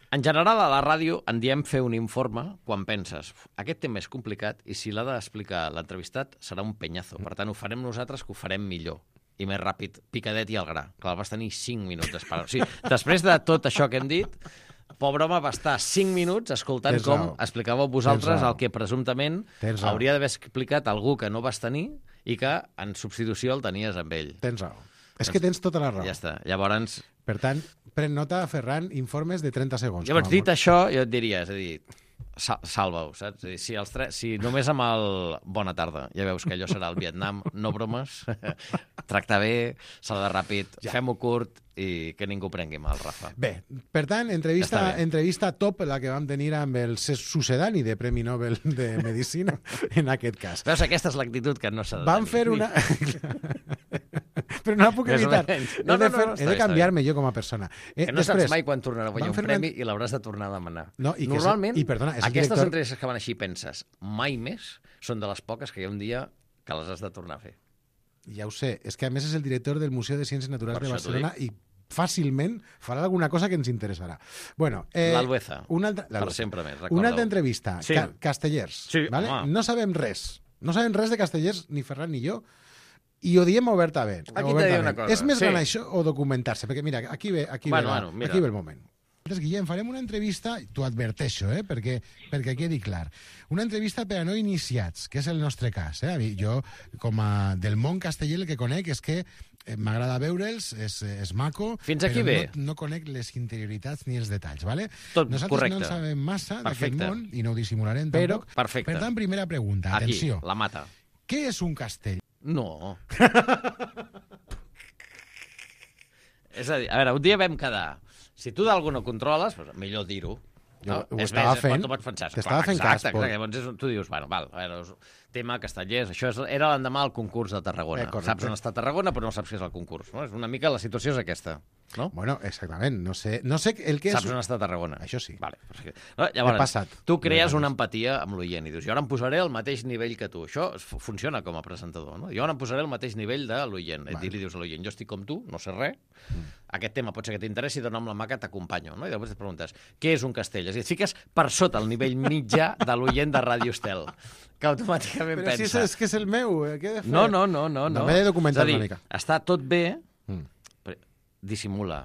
en general, a la ràdio en diem fer un informe quan penses aquest tema és complicat i si l'ha d'explicar l'entrevistat serà un penyazo. Per tant, ho farem nosaltres, que ho farem millor i més ràpid, picadet i al gra. Clar, vas tenir 5 minuts d'esperar. O sigui, després de tot això que hem dit, pobre home va estar 5 minuts escoltant com explicàveu vosaltres el que presumptament hauria d'haver explicat algú que no vas tenir i que en substitució el tenies amb ell. Tens raó. És que tens tota la raó. Ja està. Llavors... Per tant, pren nota, Ferran, informes de 30 segons. Llavors, dit això, jo et diria, és a dir, salva-ho, saps? És a dir, si només amb el bona tarda, ja veus que allò serà el Vietnam, no bromes, tractar bé, saludar ràpid, fem-ho curt i que ningú prengui mal, Rafa. Bé, per tant, entrevista top la que vam tenir amb el sucedani de Premi Nobel de Medicina, en aquest cas. Veus, aquesta és l'actitud que no s'ha de tenir. Vam fer una... Però no la puc evitar. He de canviar-me jo com a persona. Que no saps mai quan tornarà a guanyar un premi i l'hauràs de tornar a demanar. Normalment, aquestes entrevistes que van així penses, mai més són de les poques que hi ha un dia que les has de tornar a fer. Ja ho sé. És que a més és el director del Museu de Ciències Naturals de Barcelona i fàcilment farà alguna cosa que ens interessarà. Bueno, l'Albueza, per sempre més, recordeu. Una altra entrevista, Castellers. No sabem res. No sabem res de Castellers, ni Ferran ni jo, i ho diem obertament. Aquí t'he dit una cosa. És més gran això o documentar-se? Perquè mira, aquí ve el moment. Guillem, farem una entrevista, t'ho adverteixo, perquè quedi clar. Una entrevista per a no iniciats, que és el nostre cas. Jo, com a del món casteller, el que conec és que m'agrada veure'ls, és maco, però no conec les interioritats ni els detalls, ¿vale? Nosaltres correcte. No en sabem massa d'aquest món, i no ho dissimularem tampoc. Perfecte. Per tant, primera pregunta, atenció. Aquí, la mata. Què és un castell? No. És a dir, a veure, un dia vam quedar. Si tu d'algú no controles, doncs millor dir-ho. Jo ho estava fent. T'estava fent cas. Exacte. Llavors tu dius, bueno, val, a veure, tema Castellers, això era l'endemà del concurs de Tarragona. Saps on està Tarragona, però no saps què és el concurs. No? És una mica la situació és aquesta. No? Bueno, exactament. No sé el que és... Saps on està Tarragona? Això sí. Vale. Llavors, tu crees una empatia amb l'oient i dius, jo ara em posaré al mateix nivell que tu. Això funciona com a presentador, no? Jo ara em posaré al mateix nivell de l'oient. I li dius a l'oient, jo estic com tu, no sé res, aquest tema pot ser que t'interessi, dona amb la mà que t'acompanyo. No? I llavors et preguntes, què és un castell? És a dir, fiques per sota el nivell mitjà de l'oient de Ràdio Estel, que automàticament pensa... Però si és que és el meu, què he de fer? No. M'he de documentar una mica. Està tot bé, dissimula.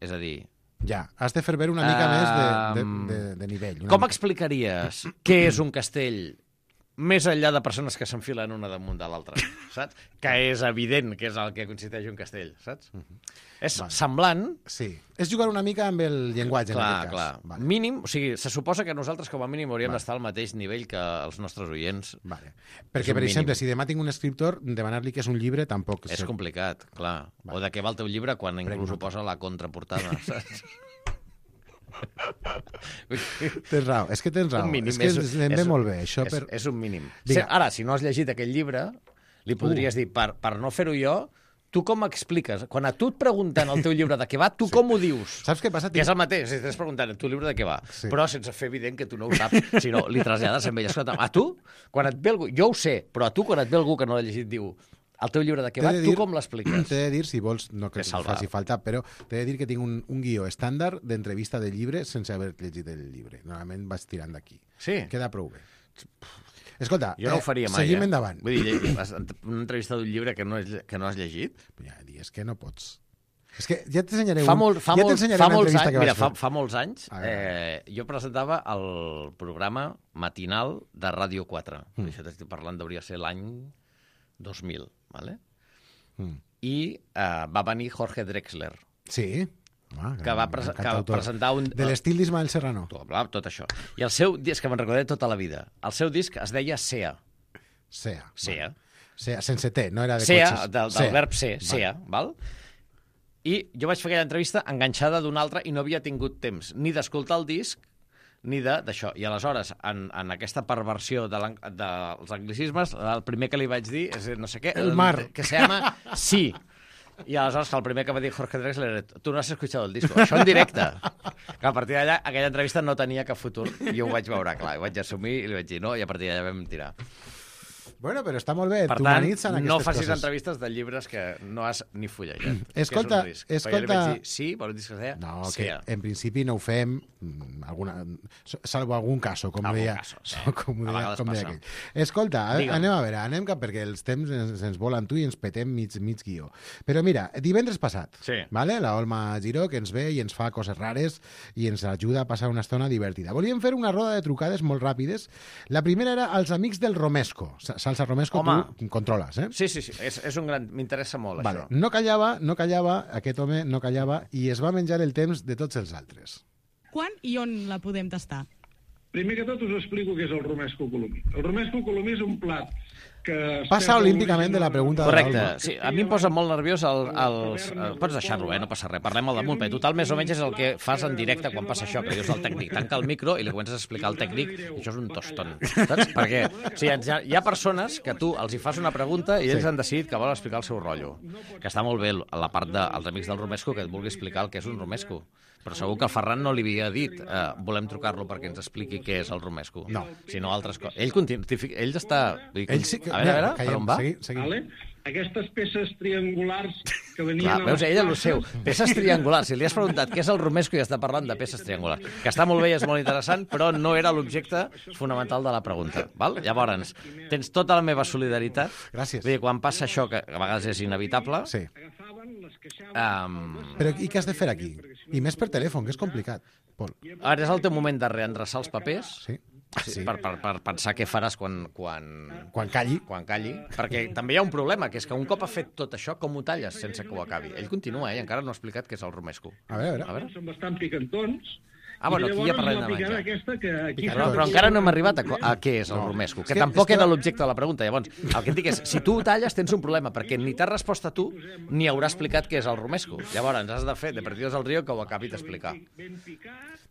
És a dir... Ja, has de fer veure una mica més de nivell. Com explicaries què és un castell més enllà de persones que s'enfilen una damunt de l'altra, saps? Que és evident que és el que consisteix un castell, saps? És semblant... Sí, és jugar una mica amb el llenguatge, en aquest cas. Clar. Mínim, o sigui, se suposa que nosaltres com a mínim hauríem d'estar al mateix nivell que els nostres oients. Perquè, per exemple, si demà tinc un escriptor, demanar-li que és un llibre tampoc... És complicat, clar. O de què va el teu llibre quan inclús ho posa a la contraportada, saps? Tens raó, és que tens raó. És que anem bé molt bé. És un mínim. Ara, si no has llegit aquell llibre, li podries dir, per no fer-ho jo, tu com expliques? Quan a tu et pregunten el teu llibre de què va, tu com ho dius? Saps què passa? Que és el mateix, si t'estàs preguntant el teu llibre de què va, però sense fer evident que tu no ho saps, sinó li trasllades amb ell. Escolta, a tu, quan et ve algú... Jo ho sé, però a tu, quan et ve algú que no l'ha llegit, diu... El teu llibre de què va, tu com l'expliques? T'he de dir, si vols, no que faci falta, però t'he de dir que tinc un guió estàndard d'entrevista de llibre sense haver llegit el llibre. Normalment vaig tirant d'aquí. Sí? Queda prou bé. Escolta, jo no ho faria mai, seguim endavant. Vull dir, una entrevista d'un llibre que no has llegit? Ja dius que no pots. És que ja t'ensenyaré una entrevista que vaig fer. Fa molts anys jo presentava el programa matinal de Ràdio 4. Això t'estic parlant, hauria ser l'any 2000, ¿vale? I va venir Jorge Drexler. Sí. Que va presentar un... De l'estil d'Ismael Serrano. Tot això. I el seu disc, que me'n recordaré tota la vida, el seu disc es deia SEA. SEA, sense T, no era de SEA, cotxes. del verb ser, SEA, val? I jo vaig fer aquella entrevista enganxada d'una altra i no havia tingut temps ni d'escoltar el disc ni d'això. I aleshores, en aquesta perversió dels anglicismes, el primer que li vaig dir és no sé què... El mar. Que se llama Sí. I aleshores, el primer que va dir Jorge Drexler era tu no has escuchado el disco. Això en directe. Que a partir d'allà, aquella entrevista no tenia cap futur. I ho vaig veure clar. Ho vaig assumir i li vaig dir no, i a partir d'allà vam tirar. Bueno, però està molt bé. Per tant, no facis entrevistes de llibres que no has ni fullejat. Escolta... Jo li vaig dir, sí, per un disc que es deia... No, que en principi no ho fem, salvo algun cas, com deia aquell. Escolta, anem a veure, perquè els temps ens volen tu i ens petem mig guió. Però mira, divendres passat, la Olma Giró, que ens ve i ens fa coses rares i ens ajuda a passar una estona divertida. Volíem fer una roda de trucades molt ràpides. La primera era als amics del Romesco. Salsa Romesco, tu controles, Sí, és un gran... M'interessa molt, això. No callava, aquest home no callava, i es va menjar el temps de tots els altres. Quan i on la podem tastar? Primer que tot us explico què és el romesco colomí. El romesco colomí és un plat que... Passa olímpicament de la pregunta de l'Olma. Correcte. Sí, a mi em posa molt nerviós Pots deixar-lo, no passa res. Parlem al damunt, perquè total més o menys és el que fas en directe quan passa això, que dius al tècnic, tanca el micro i li comences a explicar al tècnic i això és un tostón, saps? Perquè hi ha persones que tu els hi fas una pregunta i ells han decidit que volen explicar el seu rotllo. Que està molt bé la part dels amics del romesco que et vulgui explicar el que és un romesco. Però segur que el Ferran no li havia dit volem trucar-lo perquè ens expliqui què és el romesco. No. Sinó altres coses. Ell està... Ell sí que... A veure, per on va? Seguim. Aquestes peces triangulars que venien... Clar, veus, ella el seu. Peces triangulars. Si li has preguntat què és el romesco i està parlant de peces triangulars. Que està molt bé i és molt interessant, però no era l'objecte fonamental de la pregunta. Val? Llavors, tens tota la meva solidaritat. Gràcies. Vull dir, quan passa això, que a vegades és inevitable... Sí. Però i què has de fer aquí? I més per telèfon, que és complicat, Pol. Ara és el teu moment de reendreçar els papers. Sí. Per pensar què faràs quan calli. Perquè també hi ha un problema, que és que un cop ha fet tot això, com ho talles sense que ho acabi? Ell continua, encara no ha explicat què és el romesco. A veure. Són bastant picantons. Aquí ja parlem de menjar. Però encara no hem arribat a què és el romesco, que tampoc era l'objecte de la pregunta. Llavors, el que et dic és, si tu ho talles tens un problema, perquè ni t'has respost a tu ni haurà explicat què és el romesco. Llavors has de fer de Perdidos al Río que ho acabi d'explicar.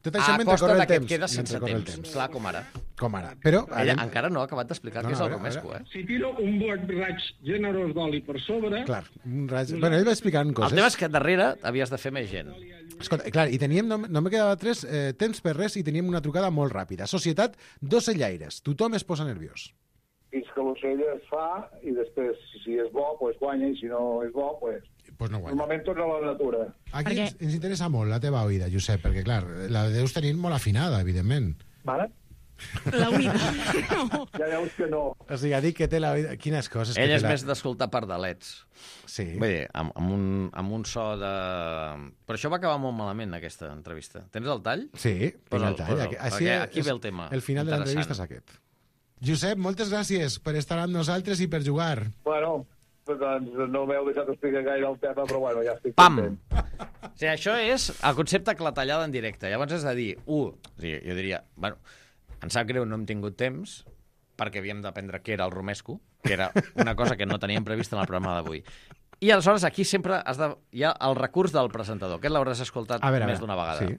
Tot això mentre corre el temps. Quedes sense temps. Clar, com ara. Però ella encara no ha acabat d'explicar què és el romesco. Si tiro un raig generós d'oli per sobre... Clar, un raig... Bueno, ell va explicant coses. El tema és que darrere havies de fer més gent. Escolta, clar, i teníem, no me quedava temps per res i teníem una trucada molt ràpida. Societat d'ocellaires. Tothom es posa nerviós. Fins que l'ocell es fa i després, si és bo, pues guanya, i si no és bo, pues no guanya. Normalment torna a la natura. Aquí ens interessa molt la teva oïda, Josep, perquè, clar, la deus tenir molt afinada, evidentment. Vale? La oïda. No. Ja veus que no. O sigui, ha dit que té la oïda... Quines coses... Ell és més d'escoltar pardalets. Sí. Vull dir, amb un so de... Però això va acabar molt malament, aquesta entrevista. Tens el tall? Sí, tinc el tall. Aquí ve el tema. El final de l'entrevista és aquest. Josep, moltes gràcies per estar amb nosaltres i per jugar. Bueno, doncs no m'heu deixat explicar gaire el tema, però bueno, ja estic content. O sigui, això és el concepte clatellada en directe. Llavors és a dir, jo diria, bueno, em sap greu, no hem tingut temps, perquè havíem d'aprendre què era el romesco, que era una cosa que no teníem prevista en el programa d'avui. I aleshores aquí sempre hi ha el recurs del presentador, que l'hauràs escoltat més d'una vegada. Sí.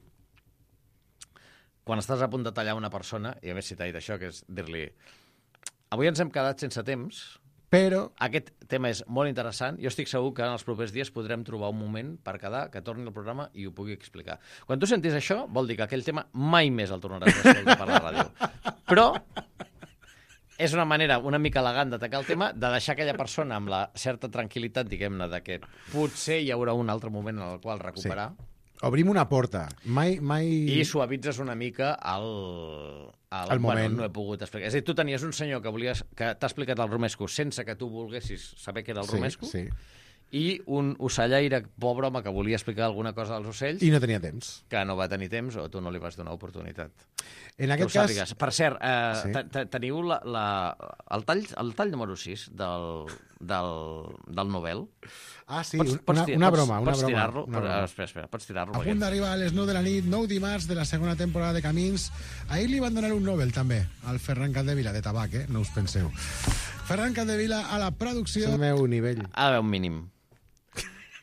Quan estàs a punt de tallar una persona, i a més si t'ha dit això, que és dir-li avui ens hem quedat sense temps, però aquest tema és molt interessant. Jo estic segur que en els propers dies podrem trobar un moment per quedar, que torni al programa i ho pugui explicar. Quan tu sentis això, vol dir que aquell tema mai més el tornaràs a escoltar per la ràdio. Però és una manera una mica elegant d'atacar el tema, de deixar aquella persona amb la certa tranquil·litat, diguem-ne, de que potser hi haurà un altre moment en el qual recuperar. Sí. Obrim una porta. Mai... I suavitzes una mica el moment. Bueno, no he pogut explicar. És a dir, tu tenies un senyor que t'ha explicat el romesco sense que tu volguessis saber què era el romesco, i un ocellaire, pobre home, que volia explicar alguna cosa als ocells... I no tenia temps. Que no va tenir temps, o tu no li vas donar oportunitat. En aquest cas... Per cert, teniu el tall número 6 del Nobel? Ah, sí, una broma. Pots tirar-lo? Espera, pots tirar-lo. A punt d'arribar a les 9 de la nit, 9 dimarts de la segona temporada de Camins. Ahir li van donar un Nobel, també, al Ferran Capdevila, de tabac, no us penseu. Ferran Capdevila a la producció... És el meu nivell. Ha d'haver un mínim.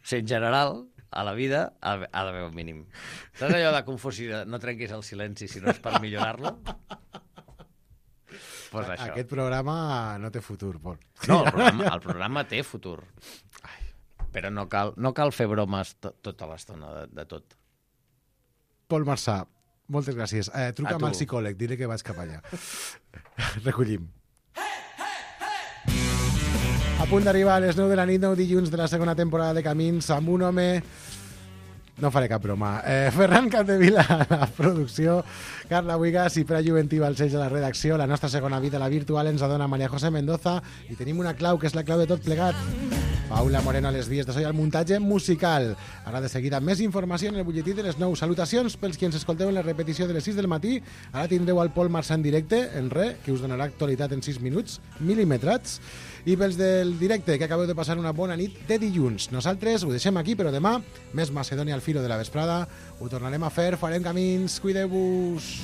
O sigui, en general, a la vida ha d'haver un mínim. Saps allò de confusió, no trenquis el silenci si no és per millorar-lo? Pues això. Aquest programa no té futur, Pol. No, el programa té futur. Però no cal fer bromes tota l'estona de tot. Pol Marçà, moltes gràcies. Truca'm al psicòleg, diré que vaig cap allà. Recollim. A punt d'arribar a les 9 de la nit, 9 dilluns de la segona temporada de Camins, amb un home... No faré cap broma. Ferran Capdevila a la producció, Carla Buigas i Pere Juventí Balcells a la redacció. La nostra segona vida, la virtual, ens la dona Maria José Mendoza i tenim una clau, que és la clau de tot plegat. Paula Moreno a les vies de so i al muntatge musical. Ara de seguida més informació en el butlletí de les 9. Salutacions pels qui ens escolteu en la repetició de les 6 del matí. Ara tindreu al Pol Marçà en directe, en que us donarà actualitat en 6 minuts, mil·límetrats. I pels del directe, que acabeu de passar una bona nit de dilluns. Nosaltres ho deixem aquí, però demà, més Macedònia al filo de la vesprada, ho tornarem a fer, farem camins, cuideu-vos.